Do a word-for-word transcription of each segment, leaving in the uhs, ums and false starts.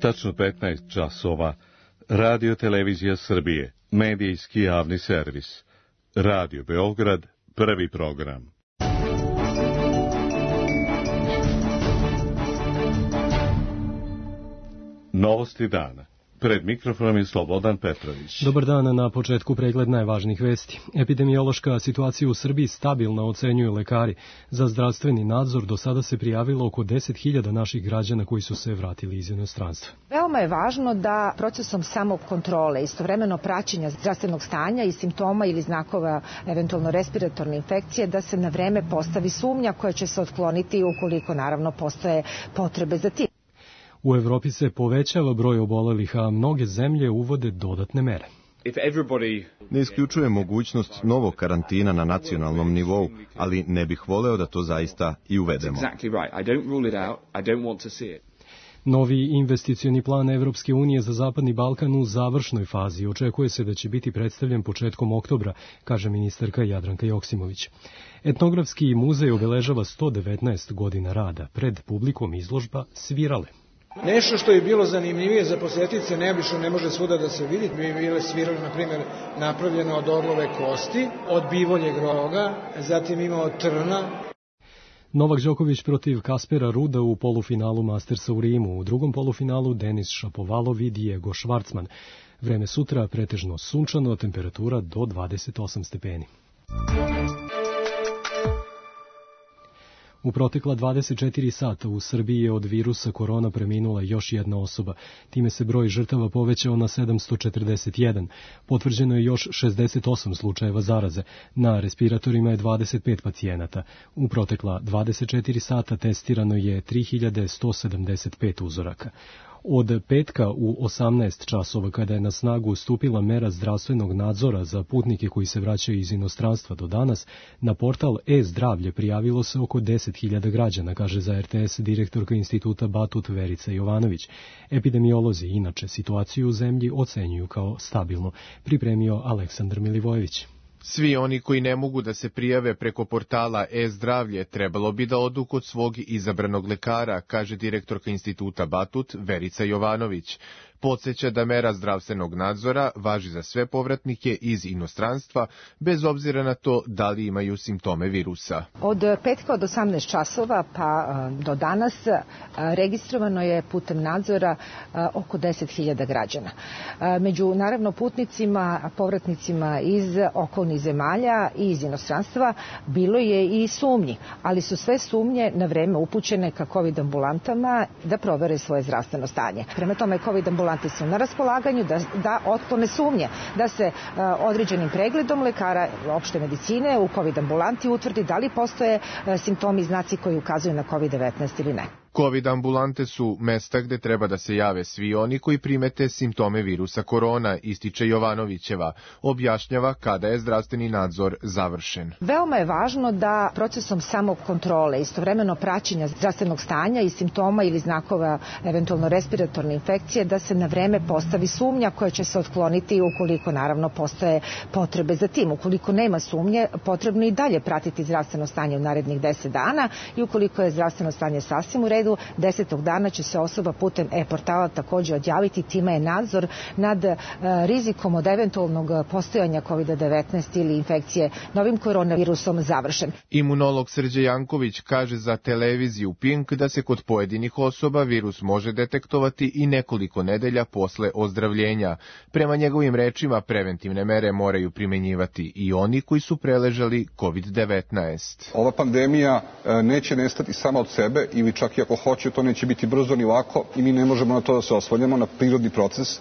Tačno petnaest časova. Radio Televizija Srbije, medijski javni servis. Radio Beograd, prvi program. Novosti dana. Pred mikrofonom je Slobodan Petrović. Dobar dan, na početku pregled najvažnijih vesti. Epidemiološka situacija u Srbiji stabilna, ocenjuju lekari. Za zdravstveni nadzor do sada se prijavilo oko deset hiljada naših građana koji su se vratili iz inostranstva. Veoma je važno da procesom samokontrole, istovremeno praćenja zdravstvenog stanja i simptoma ili znakova eventualno respiratorne infekcije, da se na vreme postavi sumnja koja će se otkloniti ukoliko naravno postoje potrebe za tim. U Evropi se povećava broj obolelih, a mnoge zemlje uvode dodatne mere. Ne isključuje mogućnost novog karantina na nacionalnom nivou, ali ne bih voleo da to zaista i uvedemo. Novi investicioni plan Evropske unije za Zapadni Balkan u završnoj fazi. Očekuje se da će biti predstavljen početkom oktobra, kaže ministarka Jadranka Joksimović. Etnografski muzej obeležava sto devetnaest godina rada. Pred publikom izložba Svirale. Nešto što je bilo zanimljivije za posetice, neobično, ne može svuda da se vidi. Mi bile svirale, na primjer, napravljeno od orlove kosti, od bivoljeg roga, zatim ima od trna. Novak Đoković protiv Kaspera Ruda u polufinalu Mastersa u Rimu. U drugom polufinalu Denis Šapovalov i Diego Švarcman. Vreme sutra pretežno sunčano, temperatura do dvadeset osam stepeni. U protekla dvadeset četiri sata u Srbiji je od virusa korona preminula još jedna osoba. Time se broj žrtava povećao na sedamsto četrdeset jedan. Potvrđeno je još šezdeset osam slučajeva zaraze. Na respiratorima je dvadeset pet pacijenata. U protekla dvadeset četiri sata testirano je tri hiljade sto sedamdeset pet uzoraka. Od petka u osamnaest časova, kada je na snagu stupila mera zdravstvenog nadzora za putnike koji se vraćaju iz inostranstva do danas, na portal e-zdravlje prijavilo se oko deset hiljada građana, kaže za R T S direktorka instituta Batut Verica Jovanović. Epidemiolozi inače situaciju u zemlji ocenjuju kao stabilno, pripremio Aleksandar Milivojević. Svi oni koji ne mogu da se prijave preko portala e-zdravlje trebalo bi da odu kod svog izabranog lekara, kaže direktorka instituta Batut Verica Jovanović. Podseća da mera zdravstvenog nadzora važi za sve povratnike iz inostranstva, bez obzira na to da li imaju simptome virusa. Od petka od osamnaest časova pa do danas registrovano je putem nadzora oko deset hiljada građana. Među naravno putnicima, povratnicima iz okolnih zemalja i iz inostranstva bilo je i sumnji, ali su sve sumnje na vreme upućene ka COVID ambulantama da provere svoje zdravstveno stanje. Prema tome, COVID ambulanti su na raspolaganju da, da otklone sumnje, da se uh, određenim pregledom lekara opšte medicine u COVID ambulanti utvrdi da li postoje uh, simptomi i znaci koji ukazuju na COVID devetnaest ili ne. COVID ambulante su mesta gde treba da se jave svi oni koji primete simptome virusa korona, ističe Jovanovićeva. Objašnjava kada je zdravstveni nadzor završen. Veoma je važno da procesom samokontrole, istovremeno praćenja zdravstvenog stanja i simptoma ili znakova eventualno respiratorne infekcije, da se na vreme postavi sumnja koja će se otkloniti ukoliko naravno postoje potrebe za tim. Ukoliko nema sumnje, potrebno i dalje pratiti zdravstveno stanje u narednih deset dana i ukoliko je zdravstveno stanje sasvim u redu, desetog dana će se osoba putem e-portala također odjaviti, time je nadzor nad uh, rizikom od eventualnog postojanja COVID devetnaest ili infekcije novim koronavirusom završen. Imunolog Srđe Janković kaže za televiziju Pink da se kod pojedinih osoba virus može detektovati i nekoliko nedelja posle ozdravljenja. Prema njegovim rečima, preventivne mere moraju primenjivati i oni koji su preležali COVID devetnaest. Ova pandemija uh, neće nestati sama od sebe ili čak i ako hoće, to neće biti brzo ni lako i mi ne možemo na to da se oslanjamo, na prirodni proces.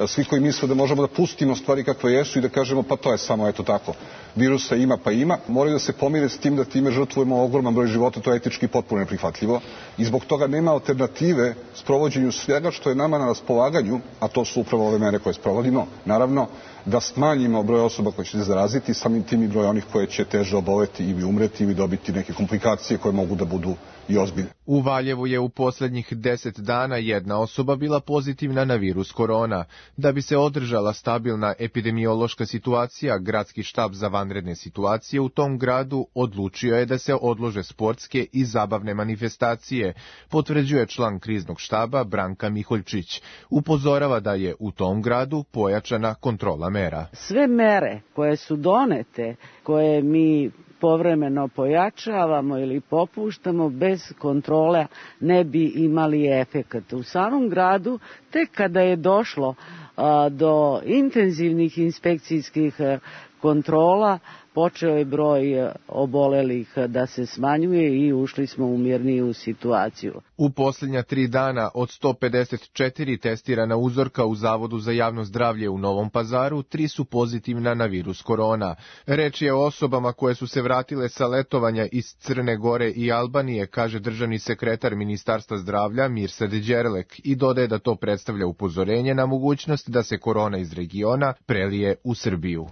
Svi koji misle da možemo da pustimo stvari kakve jesu i da kažemo pa to je samo eto tako, virusa ima pa ima, moraju da se pomire s tim da time žrtvujemo ogroman broj života, to je etički potpuno neprihvatljivo i zbog toga nema alternative sprovođenju svega što je nama na raspolaganju, a to su upravo ove mere koje sprovodimo. Naravno, da smanjimo broj osoba koje će se zaraziti, samim tim i broj onih koje će teže oboleti ili umreti ili dobiti neke komplikacije koje mogu da budu i ozbiljne. U Valjevu je u posljednjih deset dana jedna osoba bila pozitivna na virus korona. Da bi se održala stabilna epidemiološka situacija, gradski štab za vanredne situacije u tom gradu odlučio je da se odlože sportske i zabavne manifestacije, potvrđuje član kriznog štaba Branka Miholjčić. Upozorava da je u tom gradu pojačana kontrola mera. Sve mere koje su donete, koje mi povremeno pojačavamo ili popuštamo, bez kontrole ne bi imali efekat. U samom gradu, tek kada je došlo a, do intenzivnih inspekcijskih a, kontrola, počeo je broj obolelih da se smanjuje i ušli smo u mirniju situaciju. U posljednja tri dana od sto pedeset četiri testirana uzorka u Zavodu za javno zdravlje u Novom Pazaru, tri su pozitivna na virus korona. Reč je o osobama koje su se vratile sa letovanja iz Crne Gore i Albanije, kaže državni sekretar Ministarstva zdravlja Mirsad Đerlek, i dodaje da to predstavlja upozorenje na mogućnost da se korona iz regiona prelije u Srbiju.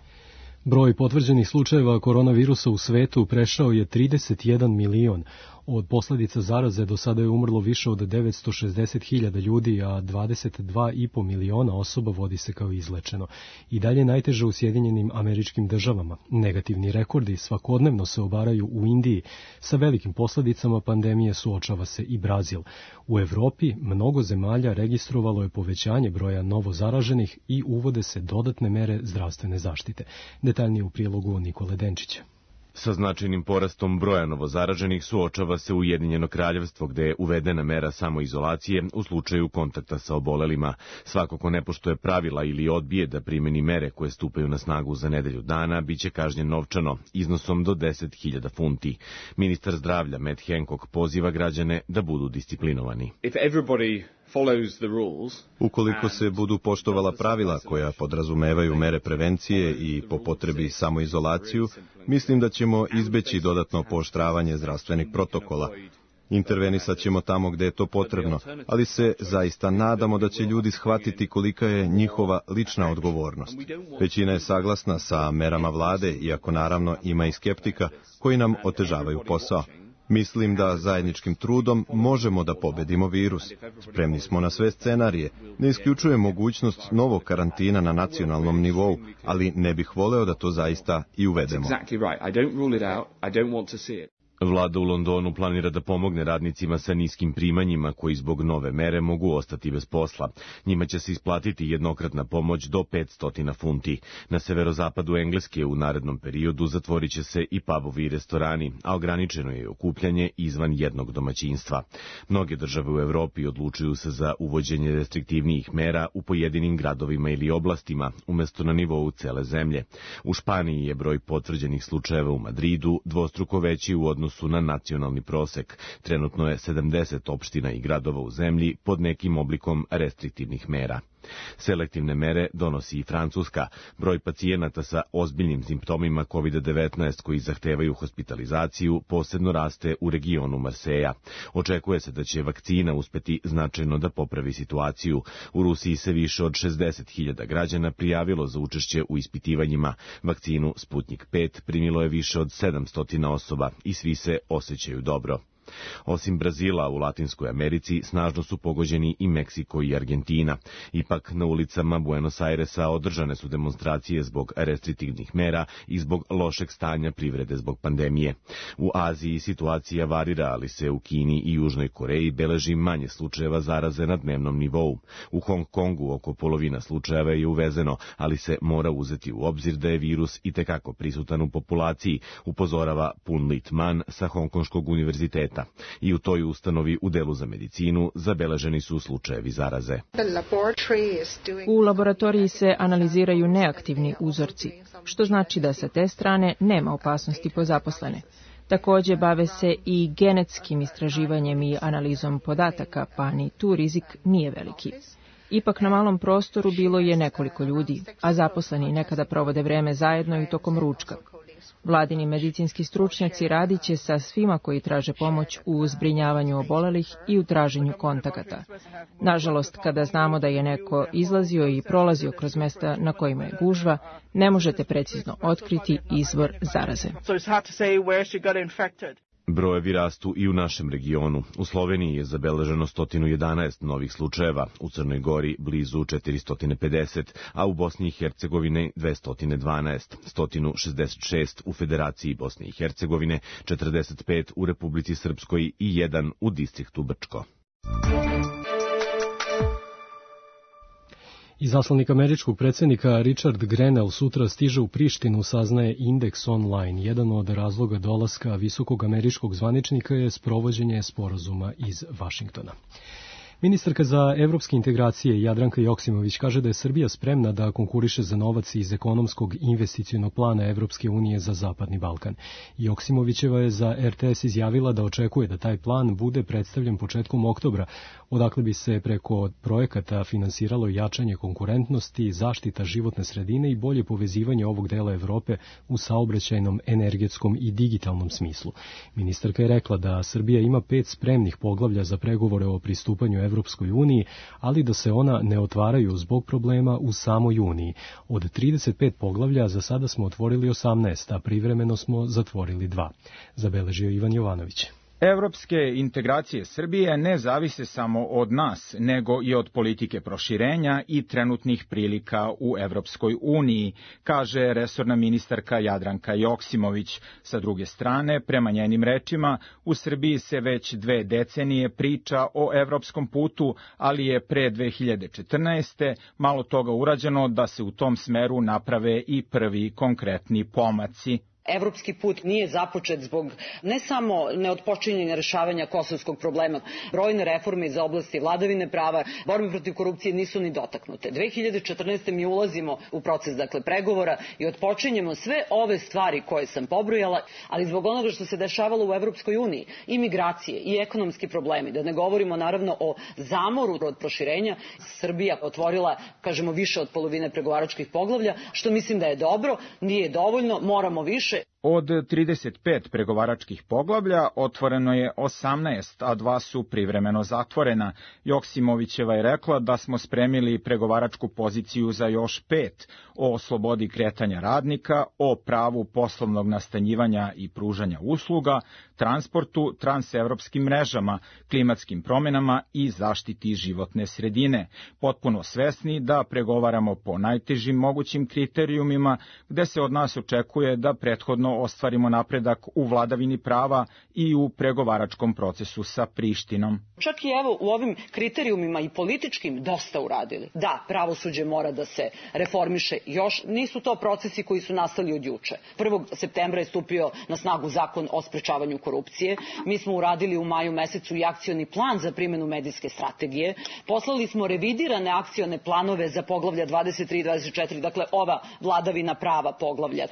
Broj potvrđenih slučajeva koronavirusa u svetu prešao je trideset jedan milion. Od posljedica zaraze do sada je umrlo više od devetsto šezdeset hiljada ljudi, a dvadeset dva i po miliona osoba vodi se kao izlečeno. I dalje najteže u Sjedinjenim Američkim Državama. Negativni rekordi svakodnevno se obaraju u Indiji. Sa velikim posljedicama pandemije suočava se i Brazil. U Evropi mnogo zemalja registrovalo je povećanje broja novo zaraženih i uvode se dodatne mere zdravstvene zaštite. Detaljnije u prilogu Nikole Denčića. Sa značajnim porastom broja novozaraženih suočava se Ujedinjeno Kraljevstvo, gde je uvedena mera samoizolacije u slučaju kontakta sa obolelima. Svako ko ne poštuje pravila ili odbije da primeni mere koje stupaju na snagu za nedelju dana, biće kažnjen novčano, iznosom do deset hiljada funti. Ministar zdravlja Matt Hancock poziva građane da budu disciplinovani. Ukoliko se budu poštovala pravila koja podrazumevaju mere prevencije i po potrebi samoizolaciju, mislim da ćemo izbeći dodatno pooštravanje zdravstvenih protokola. Intervenisat ćemo tamo gde je to potrebno, ali se zaista nadamo da će ljudi shvatiti kolika je njihova lična odgovornost. Većina je saglasna sa merama vlade, iako naravno ima i skeptika koji nam otežavaju posao. Mislim da zajedničkim trudom možemo da pobedimo virus. Spremni smo na sve scenarije. Ne isključujem mogućnost novog karantina na nacionalnom nivou, ali ne bih voleo da to zaista i uvedemo. Vlada u Londonu planira da pomogne radnicima sa niskim primanjima koji zbog nove mere mogu ostati bez posla. Njima će se isplatiti jednokratna pomoć do petsto funti. Na severozapadu Engleske u narednom periodu zatvorit će se i pubovi i restorani, a ograničeno je okupljanje izvan jednog domaćinstva. Mnoge države u Evropi odlučuju se za uvođenje restriktivnijih mera u pojedinim gradovima ili oblastima, umesto na nivou cele zemlje. U Španiji je broj potvrđenih slučajeva u Madridu dvostruko veći u odnosu su na nacionalni prosek. Trenutno je sedamdeset opština i gradova u zemlji pod nekim oblikom restriktivnih mera. Selektivne mere donosi i Francuska. Broj pacijenata sa ozbiljnim simptomima kovid devetnaest koji zahtevaju hospitalizaciju posebno raste u regionu Marseja. Očekuje se da će vakcina uspeti značajno da popravi situaciju. U Rusiji se više od šezdeset hiljada građana prijavilo za učešće u ispitivanjima. Vakcinu Sputnik pet primilo je više od sedamsto osoba i svi se osjećaju dobro. Osim Brazila, u Latinskoj Americi snažno su pogođeni i Meksiko i Argentina. Ipak na ulicama Buenos Airesa održane su demonstracije zbog restriktivnih mera i zbog lošeg stanja privrede zbog pandemije. U Aziji situacija varira, ali se u Kini i Južnoj Koreji beleži manje slučajeva zaraze na dnevnom nivou. U Hong Kongu oko polovina slučajeva je uvezeno, ali se mora uzeti u obzir da je virus itekako prisutan u populaciji, upozorava Pun Lit Man sa Hongkonškog univerziteta. I u toj ustanovi u delu za medicinu zabeleženi su slučajevi zaraze. U laboratoriji se analiziraju neaktivni uzorci, što znači da sa te strane nema opasnosti po zaposlene. Također bave se i genetskim istraživanjem i analizom podataka, pa ni tu rizik nije veliki. Ipak na malom prostoru bilo je nekoliko ljudi, a zaposleni nekada provode vreme zajedno i tokom ručka. Vladini medicinski stručnjaci radit će sa svima koji traže pomoć u zbrinjavanju obolelih i u traženju kontakata. Nažalost, kada znamo da je neko izlazio i prolazio kroz mesta na kojima je gužva, ne možete precizno otkriti izvor zaraze. Brojevi rastu i u našem regionu. U Sloveniji je zabeleženo sto jedanaest novih slučajeva, u Crnoj Gori blizu četiristo pedeset, a u Bosni i Hercegovini dvesta dvanaest, sto šezdeset šest u Federaciji Bosne i Hercegovine, četrdeset pet u Republici Srpskoj i jedan u distriktu Brčko. Izaslanik američkog predsjednika Richard Grenell sutra stiže u Prištinu, saznaje Indeks online. Jedan od razloga dolaska visokog američkog zvaničnika je sprovođenje sporazuma iz Vašingtona. Ministarka za evropske integracije Jadranka Joksimović kaže da je Srbija spremna da konkuriše za novac iz ekonomskog investicionog plana Evropske unije za Zapadni Balkan. Joksimovićeva je za er te es izjavila da očekuje da taj plan bude predstavljen početkom oktobra, odakle bi se preko projekata finansiralo jačanje konkurentnosti, zaštita životne sredine i bolje povezivanje ovog dela Evrope u saobraćajnom, energetskom i digitalnom smislu. Ministarka je rekla da Srbija ima pet spremnih poglavlja za pregovore o pristupanju Evropskoj uniji, ali da se ona ne otvaraju zbog problema u samoj uniji. Od trideset pet poglavlja za sada smo otvorili osamnaest, a privremeno smo zatvorili dva. Zabeležio Ivan Jovanović. Evropske integracije Srbije ne zavise samo od nas, nego i od politike proširenja i trenutnih prilika u Evropskoj uniji, kaže resorna ministarka Jadranka Joksimović. Sa druge strane, prema njenim rečima, u Srbiji se već dve decenije priča o evropskom putu, ali je pre dve hiljade četrnaeste. malo toga urađeno da se u tom smeru naprave i prvi konkretni pomaci. Evropski put nije započet zbog ne samo neotpočinjenja rešavanja kosovskog problema. Brojne reforme iz oblasti vladavine prava, borbe protiv korupcije nisu ni dotaknute. dve hiljade četrnaeste. mi ulazimo u proces dakle pregovora i otpočinjemo sve ove stvari koje sam pobrojala, ali zbog onoga što se dešavalo u Evropskoj uniji, i migracije i ekonomski problemi, da ne govorimo naravno o zamoru od proširenja, Srbija otvorila, kažemo, više od polovine pregovaračkih poglavlja, što mislim da je dobro, nije dovoljno, moramo više. Od trideset pet pregovaračkih poglavlja otvoreno je osamnaest, a dva su privremeno zatvorena. Joksimovićeva je rekla da smo spremili pregovaračku poziciju za još pet, o slobodi kretanja radnika, o pravu poslovnog nastanjivanja i pružanja usluga, transportu, transevropskim mrežama, klimatskim promenama i zaštiti životne sredine. Potpuno svesni da pregovaramo po najtežim mogućim kriterijumima, gde se od nas očekuje da prethodno ostvarimo napredak u vladavini prava i u pregovaračkom procesu sa Prištinom. Čak i evo u ovim kriterijumima i političkim dosta uradili. Da, pravosuđe mora da se reformiše, još nisu to procesi koji su nastali od juče. prvog septembra je stupio na snagu zakon o sprečavanju korupcije. Mi smo uradili u maju mesecu i akcioni plan za primjenu medijske strategije. Poslali smo revidirane akcione planove za poglavlja dvadeset tri i dvadeset četiri, dakle ova vladavina prava poglavlja,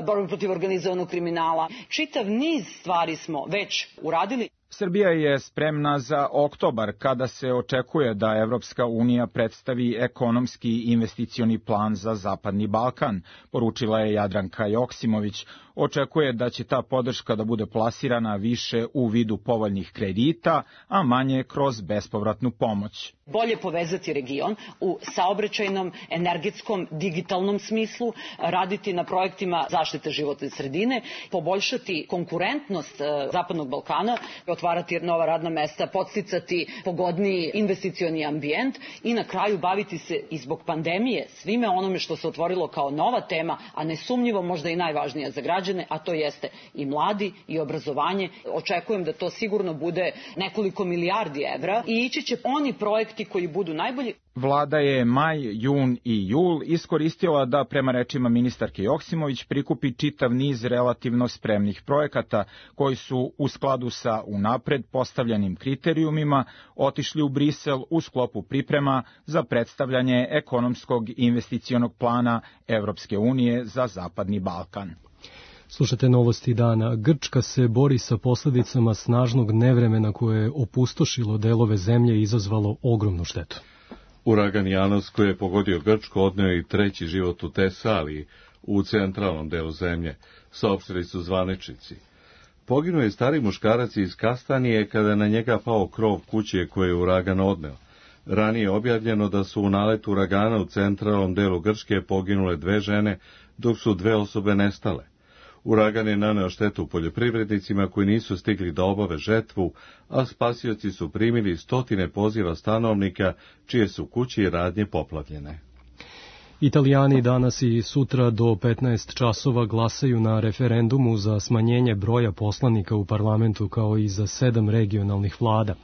borba protiv organizovanog kriminala. Čitav niz stvari smo već uradili. Srbija je spremna za oktobar, kada se očekuje da Evropska unija predstavi ekonomski investicioni plan za Zapadni Balkan, poručila je Jadranka Joksimović. Očekuje da će ta podrška da bude plasirana više u vidu povoljnih kredita, a manje kroz bespovratnu pomoć. Bolje povezati region u saobraćajnom, energetskom, digitalnom smislu, raditi na projektima zaštite životne sredine, poboljšati konkurentnost Zapadnog Balkana, otvarati nova radna mesta, podsticati pogodniji investicioni ambijent i na kraju baviti se i zbog pandemije svime onome što se otvorilo kao nova tema, a nesumnjivo možda i najvažnija za građane, a to jeste i mladi i obrazovanje. Očekujem da to sigurno bude nekoliko milijardi evra i ići će oni projekti koji budu najbolji. Vlada je maj, jun i jul iskoristila da, prema rečima ministarke Joksimović, prikupi čitav niz relativno spremnih projekata koji su u skladu sa unapred postavljenim kriterijumima otišli u Brisel u sklopu priprema za predstavljanje ekonomskog investicionog plana Evropske unije za Zapadni Balkan. Slušate novosti dana. Grčka se bori sa posledicama snažnog nevremena koje je opustošilo delove zemlje i izazvalo ogromnu štetu. Uragan Janos koji je pogodio Grčku odneo i treći život u Tesaliji. u centralnom delu zemlje, saopštili su zvaničnici. Poginuo je stari muškarac iz Kastanije kada je na njega pao krov kuće koje je uragan odneo. Ranije je objavljeno da su u naletu uragana u centralnom delu Grčke poginule dve žene, dok su dve osobe nestale. Uragan je naneo štetu poljoprivrednicima koji nisu stigli da obave žetvu, a spasioci su primili stotine poziva stanovnika čije su kuće i radnje poplavljene. Italijani danas i sutra do petnaest časova glasaju na referendumu za smanjenje broja poslanika u parlamentu kao i za sedam regionalnih vlada.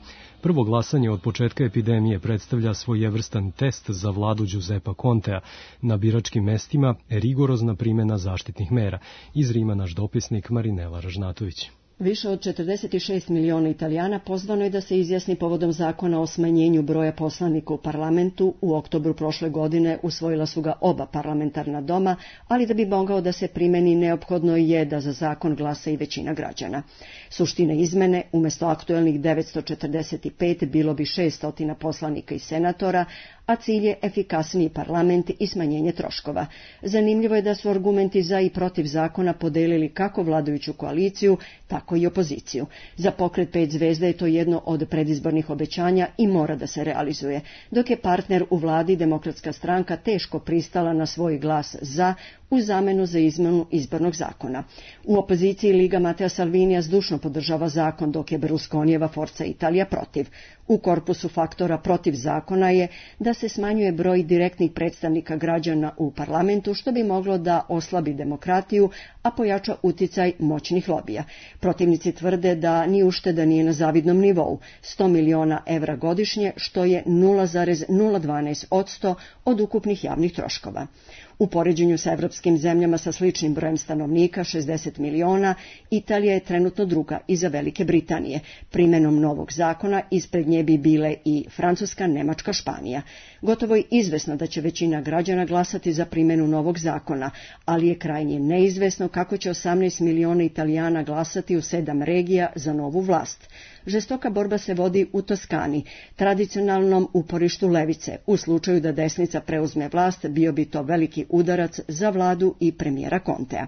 Prvo glasanje od početka epidemije predstavlja svojevrstan test za vladu Giuseppa Contea. Na biračkim mestima rigorozna primjena zaštitnih mera. Iz Rima naš dopisnik Marinela Ražnatović. Više od četrdeset šest miliona Italijana pozvano je da se izjasni povodom zakona o smanjenju broja poslanika u parlamentu. U oktobru prošle godine usvojila su ga oba parlamentarna doma, ali da bi mogao da se primeni neophodno je da za zakon glasa i većina građana. Suština izmene, umjesto aktuelnih devetsto četrdeset pet bilo bi šesto poslanika i senatora, a cilj je efikasniji parlament i smanjenje troškova. Zanimljivo je da su argumenti za i protiv zakona podelili kako vladajuću koaliciju, tako i opoziciju. Za pokret pet zvezda je to jedno od predizbornih obećanja i mora da se realizuje, dok je partner u vladi Demokratska stranka teško pristala na svoj glas za u zamenu za izmenu izbornog zakona. U opoziciji Liga Matteo Salvinija zdušno podržava zakon, dok je Berlusconijeva Forza Italija protiv. U korpusu faktora protiv zakona je da se smanjuje broj direktnih predstavnika građana u parlamentu, što bi moglo da oslabi demokratiju, a pojača uticaj moćnih lobija. Protivnici tvrde da ni ušteda nije na zavidnom nivou, sto miliona evra godišnje, što je nula zarez nula dvanaest posto od ukupnih javnih troškova. U poređenju sa evropskim zemljama sa sličnim brojem stanovnika, šezdeset miliona, Italija je trenutno druga iza Velike Britanije. Primenom novog zakona ispred nje bi bile i Francuska, Nemačka, Španija. Gotovo je izvesno da će većina građana glasati za primenu novog zakona, ali je krajnje neizvesno kako će osamnaest miliona Italijana glasati u sedam regija za novu vlast. Žestoka borba se vodi u Toskani, tradicionalnom uporištu levice. U slučaju da desnica preuzme vlast, bio bi to veliki udarac za vladu i premijera Contea.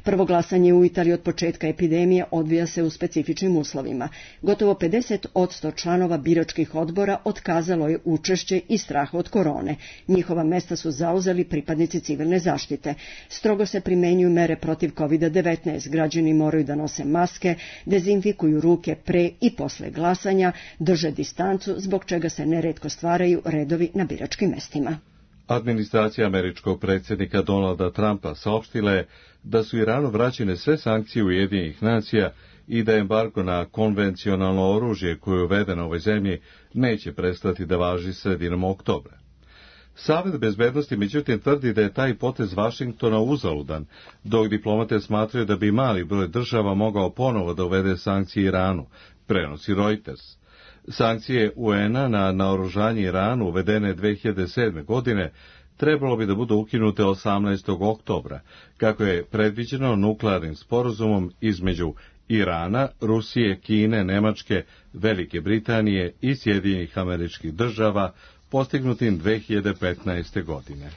Prvo glasanje u Italiji od početka epidemije odvija se u specifičnim uslovima. Gotovo pedeset posto članova biračkih odbora otkazalo je učešće i strah od korone. Njihova mesta su zauzeli pripadnici civilne zaštite. Strogo se primenjuju mere protiv kovid devetnaest. Građani moraju da nose maske, dezinfikuju ruke pre i posle glasanja, drže distancu, zbog čega se neretko stvaraju redovi na biračkim mestima. Administracija američkog predsjednika Donalda Trumpa saopštila je da su Iranu vraćene sve sankcije Ujedinjenih nacija i da embargo na konvencionalno oružje koje je uvedeno u ovoj zemlji neće prestati da važi sredinom oktobra. Savet bezbednosti međutim tvrdi da je taj potez Vašingtona uzaludan, dok diplomate smatraju da bi mali broj država mogao ponovo da uvede sankcije Iranu, prenosi Reuters. Sankcije U N-a na naoružanje Iranu uvedene dve hiljade sedme. godine trebalo bi da budu ukinute osamnaestog oktobra, kako je predviđeno nuklearnim sporazumom između Irana, Rusije, Kine, Nemačke, Velike Britanije i Sjedinjenih Američkih Država, postignutim dve hiljade petnaeste. godine.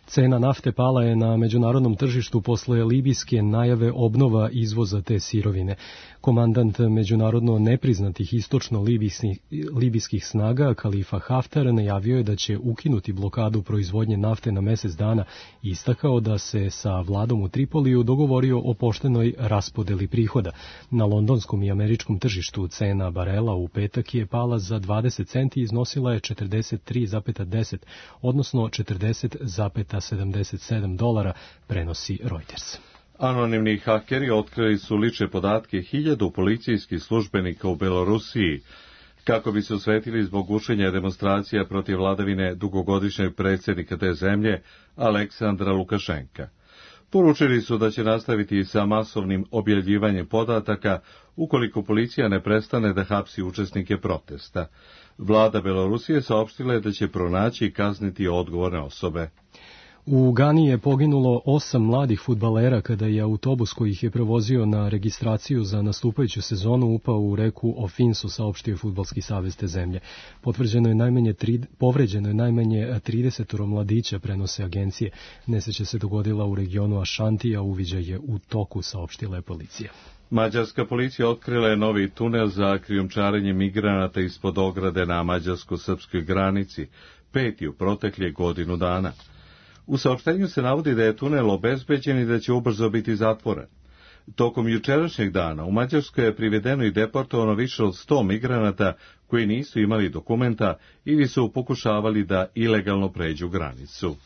Cena nafte pala je na međunarodnom tržištu posle libijske najave obnova izvoza te sirovine. Komandant međunarodno nepriznatih istočno-libijskih snaga, Kalifa Haftar, najavio je da će ukinuti blokadu proizvodnje nafte na mesec dana i istakao da se sa vladom u Tripoliju dogovorio o poštenoj raspodeli prihoda. Na londonskom i američkom tržištu cena barela u petak je pala za dvadeset centi i iznosila je četrdeset tri zarez deset, odnosno četrdeset zarez sedamdeset sedam dolara, prenosi Reuters. Anonimni hakeri otkrili su lične podatke hiljadu policijskih službenika u Belorusiji, kako bi se osvetili zbog gušenja demonstracija protiv vladavine dugogodišnjeg predsjednika te zemlje, Aleksandra Lukašenka. Poručili su da će nastaviti sa masovnim objavljivanjem podataka ukoliko policija ne prestane da hapsi učesnike protesta. Vlada Belorusije saopštila je da će pronaći i kazniti odgovorne osobe. U Gani je poginulo osam mladih fudbalera kada je autobus koji ih je prevozio na registraciju za nastupajuću sezonu upao u reku Ofinsu, saopštio Fudbalski savez te zemlje. Potvrđeno je najmanje tri, povređeno je najmanje trideset mladića, prenose agencije. Nesreća se dogodila u regionu Ašanti, a uviđaj je u toku, saopštila je policija. Mađarska policija otkrila je novi tunel za krijumčarenje migranata ispod ograde na mađarsko-srpskoj granici, peti u proteklih godinu dana. U saopštenju se navodi da je tunel obezbeđen i da će ubrzo biti zatvoren. Tokom jučerašnjeg dana u Mađarskoj je privedeno i deportovano više od sto migranata koji nisu imali dokumenta ili su pokušavali da ilegalno pređu granicu.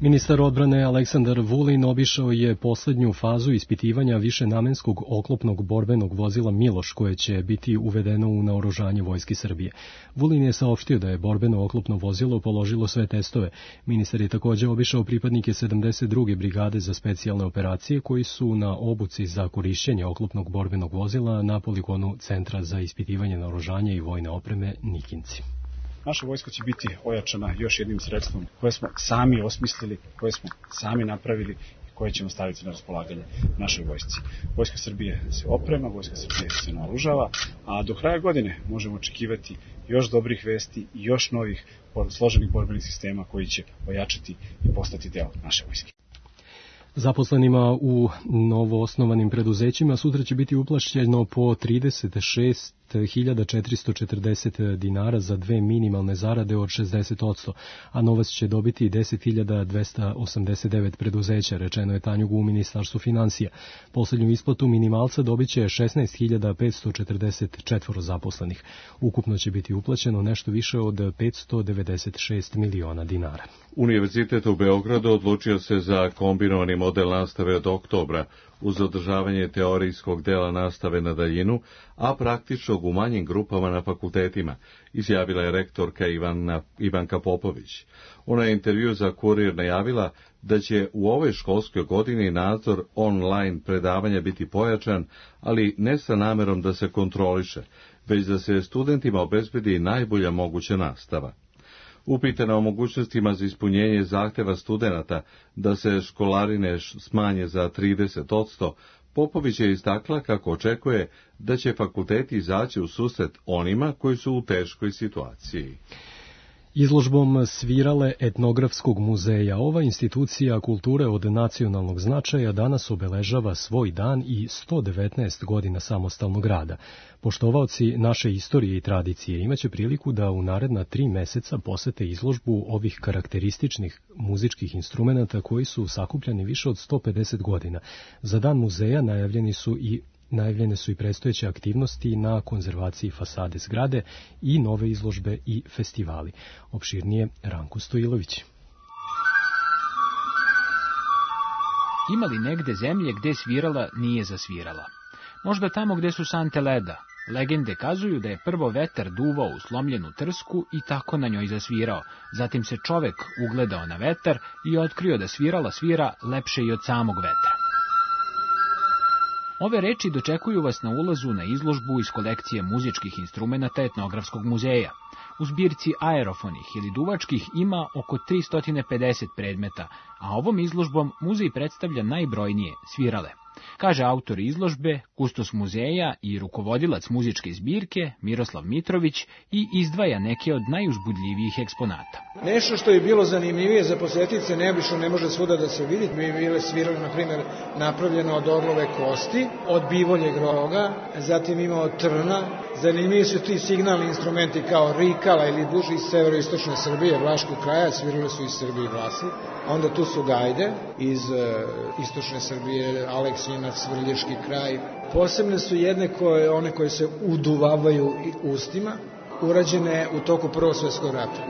Ministar odbrane Aleksandar Vulin obišao je poslednju fazu ispitivanja višenamenskog oklopnog borbenog vozila Miloš, koje će biti uvedeno u naoružanje Vojske Srbije. Vulin je saopštio da je borbeno oklopno vozilo položilo sve testove. Ministar je takođe obišao pripadnike sedamdeset druge brigade za specijalne operacije koji su na obuci za korišćenje oklopnog borbenog vozila na poligonu Centra za ispitivanje naoružanja i vojne opreme Nikinci. Naša vojska će biti ojačana još jednim sredstvom koje smo sami osmislili, koje smo sami napravili i koje ćemo staviti na raspolaganje našoj vojsci. Vojska Srbije se oprema, Vojska Srbije se naoružava, a do kraja godine možemo očekivati još dobrih vesti i još novih složenih borbenih sistema koji će ojačati i postati deo naše vojske. Zaposlenima u novoosnovanim preduzećima sutra će biti uplaćeno po trideset šest hiljada četiristo četrdeset dinara za dve minimalne zarade od šezdeset posto, a novac će dobiti deset hiljada dvesta osamdeset devet preduzeća, rečeno je Tanjugu u Ministarstvu finansija. Poslednju isplatu minimalca dobit će šesnaest hiljada petsto četrdeset četiri zaposlenih. Ukupno će biti uplaćeno nešto više od petsto devedeset šest miliona dinara. Univerzitet u Beogradu odlučio se za kombinovani model nastave od oktobra, uz održavanje teorijskog dela nastave na daljinu, a praktičnog u manjim grupama na fakultetima, izjavila je rektorka Ivana, Ivanka Popović. Ona je intervju za Kurir najavila da će u ovoj školskoj godini nadzor online predavanja biti pojačan, ali ne sa namerom da se kontroliše, već da se studentima obezbedi najbolja moguća nastava. Upitana o mogućnostima za ispunjenje zahteva studenata da se školarine smanje za trideset posto, Popović je istakla kako očekuje da će fakulteti izaći u susret onima koji su u teškoj situaciji. Izložbom Svirale etnografskog muzeja ova institucija kulture od nacionalnog značaja danas obeležava svoj dan i sto devetnaest godina samostalnog rada. Poštovaoci naše istorije i tradicije imaće priliku da u naredna tri meseca posete izložbu ovih karakterističnih muzičkih instrumenata koji su sakupljani više od sto pedeset godina. Za dan muzeja najavljeni su i Najavljene su i predstojeće aktivnosti na konzervaciji fasade zgrade i nove izložbe i festivali. Opširnije Ranko Stojilović. Ima li negde zemlje gde svirala nije zasvirala? Možda tamo gde su sante leda. Legende kazuju da je prvo vetar duvao u slomljenu trsku i tako na njoj zasvirao. Zatim se čovek ugledao na vetar i otkrio da svirala svira lepše i od samog vetra. Ove reči dočekuju vas na ulazu na izložbu iz kolekcije muzičkih instrumenata Etnografskog muzeja. U zbirci aerofonih ili duvačkih ima oko tristo pedeset predmeta, a ovom izložbom muzej predstavlja najbrojnije svirale. Kaže autor izložbe, kustos muzeja i rukovodilac muzičke zbirke Miroslav Mitrović i izdvaja neke od najuzbudljivijih eksponata. Nešto što je bilo zanimljivije za posjetice, neobično ne može svuda da se vidi. Mi bile svirale, na primjer, napravljeno od orlove kosti, od bivoljeg roga, zatim ima od trna. Zanimljivi su ti signalni instrumenti kao rikala ili duži iz severoistočne Srbije, Vlaškog kraja, svirale su iz Srbije i Vlasi. Onda tu su gajde iz uh, istočne Srbije, Aleksinac, Svrljiški kraj. Posebne su jedne koje, one koje se uduvavaju ustima, urađene u toku Prvog svjetskog rata.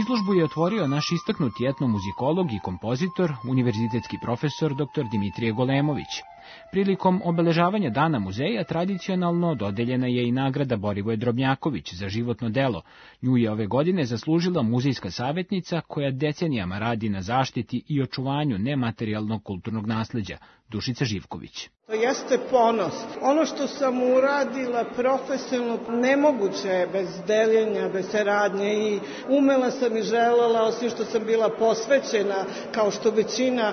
Izložbu je otvorio naš istaknuti etnomuzikolog i kompozitor, univerzitetski profesor dr Dimitrije Golemović. Prilikom obeležavanja Dana muzeja tradicionalno dodeljena je i nagrada Borivoje Drobnjaković za životno delo. Nju je ove godine zaslužila muzejska savjetnica koja decenijama radi na zaštiti i očuvanju nematerijalnog kulturnog nasleđa, Dušica Živković. To jeste ponos. Ono što sam uradila profesionalno nemoguće je bez deljenja, bez saradnje i umela sam i želela, osim što sam bila posvećena, kao što većina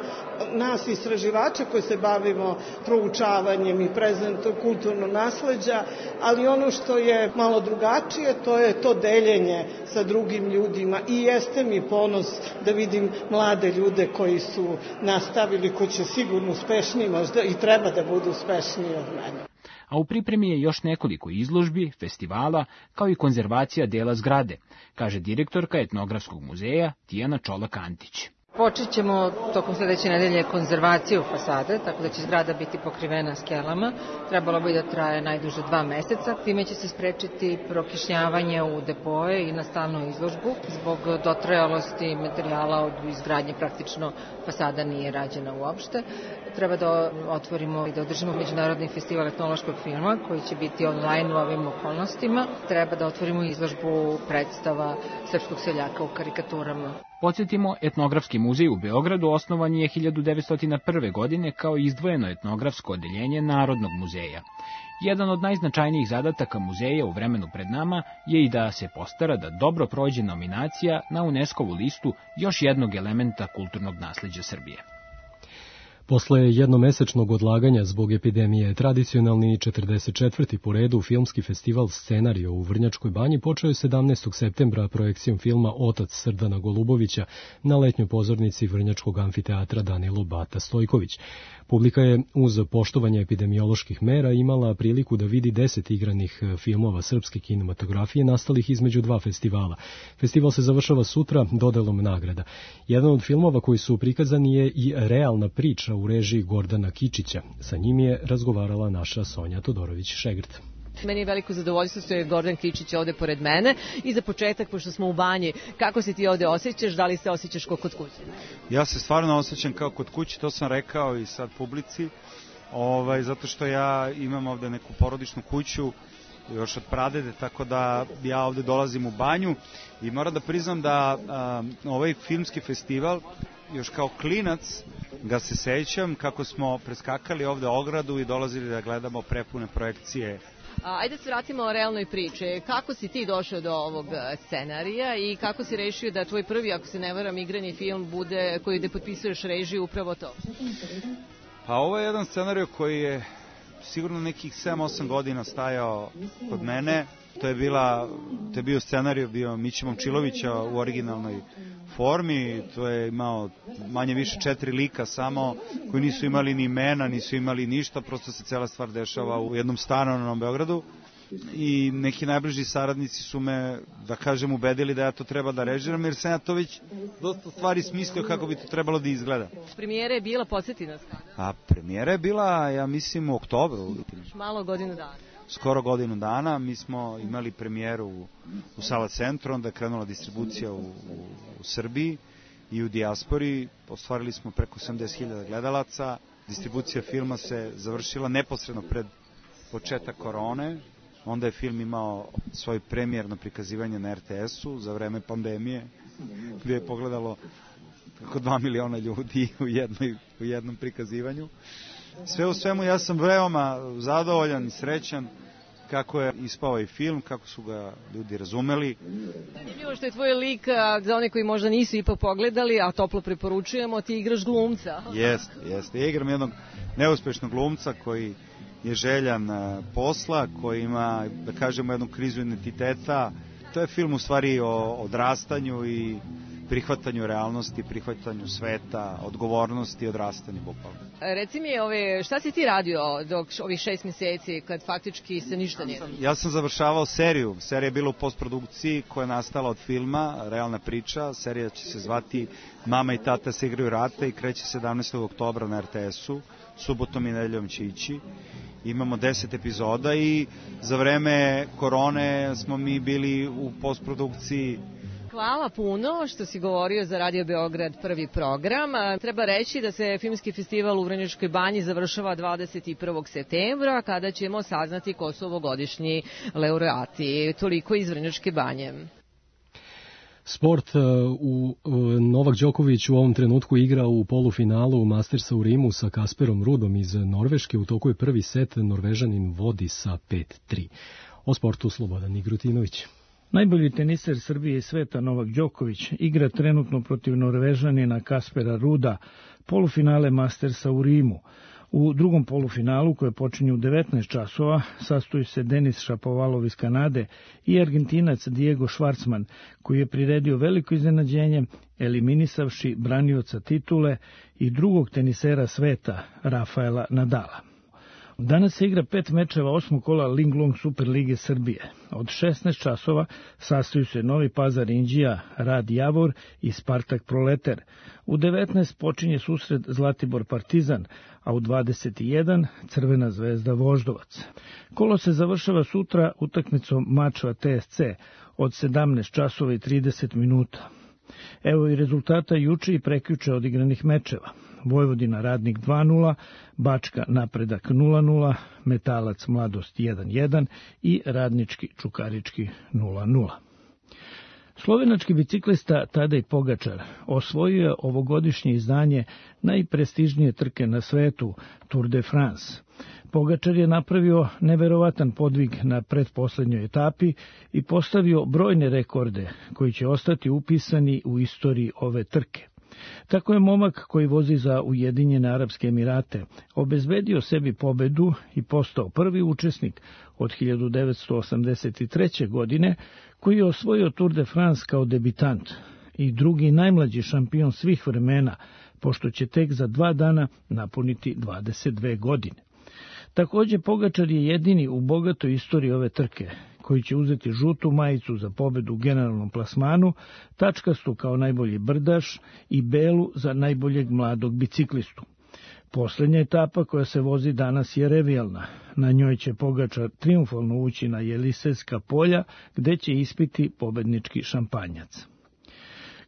nas istraživača koji se bavimo proučavanjem i prezentom kulturnog nasleđa, ali ono što je malo drugačije, to je to deljenje sa drugim ljudima i jeste mi ponos da vidim mlade ljude koji su nastavili, koji će sigurno uspešniji možda i treba da budu uspešniji od mene. A u pripremi je još nekoliko izložbi, festivala, kao i konzervacija dela zgrade, kaže direktorka Etnografskog muzeja Tijana Čolak-Antić. Počet ćemo tokom sledeće nedelje konzervaciju fasade, tako da će zgrada biti pokrivena skelama. Trebalo bi da traje najduže dva meseca. Time će se sprečiti prokišnjavanje u depoje i na stalnu izložbu. Zbog dotrajalosti materijala od izgradnje praktično fasada nije rađena uopšte. Treba da otvorimo i da održimo Međunarodni festival etnološkog filma koji će biti online u ovim okolnostima. Treba da otvorimo izložbu predstava srpskog seljaka u karikaturama. Podsjetimo, Etnografski muzej u Beogradu osnovan je hiljadu devetsto prve. godine kao izdvojeno etnografsko odeljenje Narodnog muzeja. Jedan od najznačajnijih zadataka muzeja u vremenu pred nama je i da se postara da dobro prođe nominacija na UNESCO-vu listu još jednog elementa kulturnog nasleđa Srbije. Posle jednomesečnog odlaganja zbog epidemije, tradicionalni četrdeset četvrti po redu filmski festival Scenario u Vrnjačkoj banji počeo je sedamnaestog septembra projekcijom filma Otac Srdana Golubovića na letnjoj pozornici Vrnjačkog amfiteatra Danilo Bata Stojković. Publika je uz poštovanje epidemioloških mera imala priliku da vidi deset igranih filmova srpske kinematografije nastalih između dva festivala. Festival se završava sutra dodelom nagrada. Jedan od filmova koji su prikazani je i Realna priča u režiji Gordana Kičića. Sa njim je razgovarala naša Sonja Todorović-Šegrt. Meni je veliko zadovoljstvo što je Gordan Kičić ovde pored mene i za početak, pošto smo u banji, kako se ti ovde osjećaš, da li se osjećaš kao kod kuće? Ja se stvarno osjećam kao kod kuće, to sam rekao i sad publici, ovaj, zato što ja imam ovde neku porodičnu kuću, još od pradede, tako da ja ovde dolazim u banju i moram da priznam da a, ovaj filmski festival, još kao klinac ga se sećam kako smo preskakali ovde ogradu i dolazili da gledamo prepune projekcije. Ajde se vratimo o realnoj priči. Kako si ti došao do ovog scenarija i kako si rešio da tvoj prvi, ako se ne varam, igrani film bude, koji gde potpisuješ režiju, upravo to? Pa ovo je jedan scenarij koji je sigurno nekih sedam osam godina stajao kod mene. To je, bila, to je bio scenarij bio Miće Momčilovića u originalnoj formi. To je imao manje više četiri lika samo, koji nisu imali ni imena, nisu imali ništa, prosto se cela stvar dešava u jednom stanu na Novom Beogradu. I neki najbliži saradnici su me, da kažem, ubedili da ja to treba da režiram, jer sam ja to već dosta stvari smislio kako bi to trebalo da izgleda. Premijera je bila, podsjeti nas kada? A premijera je bila, ja mislim, u oktobru. Malo godinu dana. Skoro godinu dana. Mi smo imali premijeru u, u Sala Centru, onda je krenula distribucija u, u, u Srbiji i u dijaspori. Ostvarili smo preko osamdeset hiljada gledalaca. Distribucija filma se završila neposredno pred početak korone. Onda je film imao svoj premijerno prikazivanje na er te esu za vreme pandemije, gdje je pogledalo preko dva miliona ljudi u, jednoj, u jednom prikazivanju. Sve u svemu ja sam veoma zadovoljan i srećan kako je ispao i film, kako su ga ljudi razumeli. Zanimljivo što je tvoj lik, za one koji možda nisu ipak pogledali, a toplo preporučujemo, ti igraš glumca. Jeste, jeste. Ja igram jednog neuspešnog glumca koji je željan posla, koji ima, da kažemo, jednu krizu identiteta. To je film u stvari o odrastanju i prihvatanju realnosti, prihvatanju sveta, odgovornosti i odrastanju bukvalno. Reci mi, ove, šta si ti radio dok ovih šest mjeseci kad faktički se ništa nije? Ja sam završavao seriju. Serija je bila u postprodukciji koja je nastala od filma, Realna priča. Serija će se zvati Mama i tata se igraju rata i kreće sedamnaestog oktobra na er te esu. Subotom i nedeljom će ići. Imamo deset epizoda i za vreme korone smo mi bili u postprodukciji. Hvala puno što si govorio za Radio Beograd prvi program. Treba reći da se filmski festival u Vrnjačkoj banji završava dvadeset prvog septembra, kada ćemo saznati ko su ovogodišnji laureati. Toliko iz Vrnjačke banje. Sport, u Novak Đoković u ovom trenutku igra u polufinalu Mastersa u Rimu sa Kasperom Rudom iz Norveške. U toku je prvi set, Norvežanin vodi sa pet tri. O sportu Slobodan Igrutinović. Najbolji teniser Srbije i sveta Novak Đoković igra trenutno protiv Norvežanina Kaspera Ruda, polufinale Mastersa u Rimu. U drugom polufinalu, koje počinje u devetnaest časova, sastoji se Denis Šapovalov iz Kanade i Argentinac Diego Schwartzman, koji je priredio veliko iznenađenje, eliminisavši branioca titule i drugog tenisera sveta, Rafaela Nadala. Danas se igra pet mečeva osmog kola Linglong Super Lige Srbije. Od šesnaest časova sastaju se Novi Pazar Inđija, Rad Javor i Spartak Proleter. U devetnaest počinje susret Zlatibor Partizan, a u dvadeset jedan Crvena zvezda Voždovac. Kolo se završava sutra utakmicom Mačva T S C od sedamnaest časova i trideset minuta. Evo i rezultata juče i prekjuče odigranih mečeva. Vojvodina Radnik dva nula, Bačka Napredak nula nula, Metalac Mladost jedan jedan i Radnički Čukarički nula nula. Slovenački biciklista Tadej Pogačar osvojio je ovogodišnje izdanje najprestižnije trke na svetu, Tour de France. Pogačar je napravio neverovatan podvig na pretposlednjoj etapi i postavio brojne rekorde koji će ostati upisani u istoriji ove trke. Tako je momak koji vozi za Ujedinjene Arapske Emirate obezbedio sebi pobedu i postao prvi učesnik od hiljadu devetsto osamdeset treće. godine koji je osvojio Tour de France kao debitant i drugi najmlađi šampion svih vremena, pošto će tek za dva dana napuniti dvadeset dve godine. Također Pogačar je jedini u bogatoj istoriji ove trke koji će uzeti žutu majicu za pobedu u generalnom plasmanu, tačkastu kao najbolji brdaš i belu za najboljeg mladog biciklistu. Poslednja etapa koja se vozi danas je revijalna. Na njoj će Pogačar triumfalno ući na Jelisejska polja, gde će ispiti pobednički šampanjac.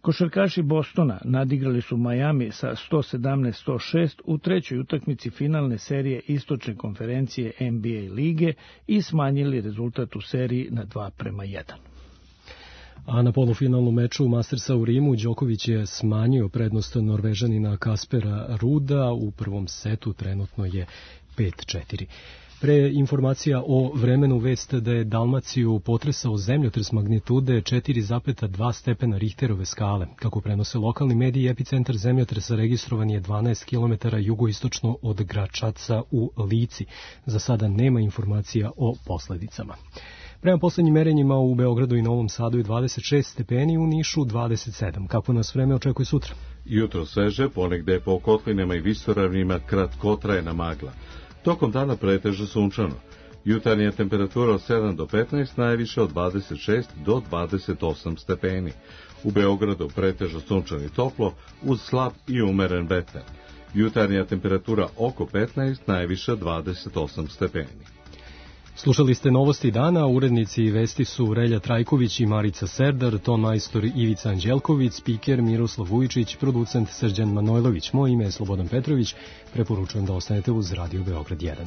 Košarkaši Bostona nadigrali su Miami sa sto sedamnaest sto šest u trećoj utakmici finalne serije istočne konferencije N B A lige i smanjili rezultat u seriji na dva prema jedan. A na polufinalnom meču Mastersa u Rimu Đoković je smanjio prednost Norvežanina Kaspera Ruda. U prvom setu trenutno je pet četiri. Pre informacija o vremenu, vest da je Dalmaciju potresao zemljotres magnitude četiri zarez dva stepena Richterove skale. Kako prenose lokalni mediji, epicentar zemljotresa registrovan je dvanaest kilometara jugoistočno od Gračaca u Lici. Za sada nema informacija o posledicama. Prema poslednjim merenjima u Beogradu i Novom Sadu je dvadeset šest stepeni, u Nišu dvadeset sedam. Kako nas vreme očekuje sutra? Jutro sveže, ponegde po kotlinama i visoravnima kratkotrajna magla. Tokom dana pretežno sunčano. Jutarnja temperatura od sedam do petnaest, najviše od dvadeset šest do dvadeset osam stepeni. U Beogradu pretežno sunčano i toplo, uz slab i umeren vetar. Jutarnja temperatura oko petnaest, najviše dvadeset osam stepeni. Slušali ste novosti dana, urednici vesti su Relja Trajković i Marica Serdar, ton majstor Ivica Anđelković, spiker Miroslav Vujičić, producent Srđan Manojlović. Moje ime je Slobodan Petrović, preporučujem da ostanete uz Radio Beograd jedan.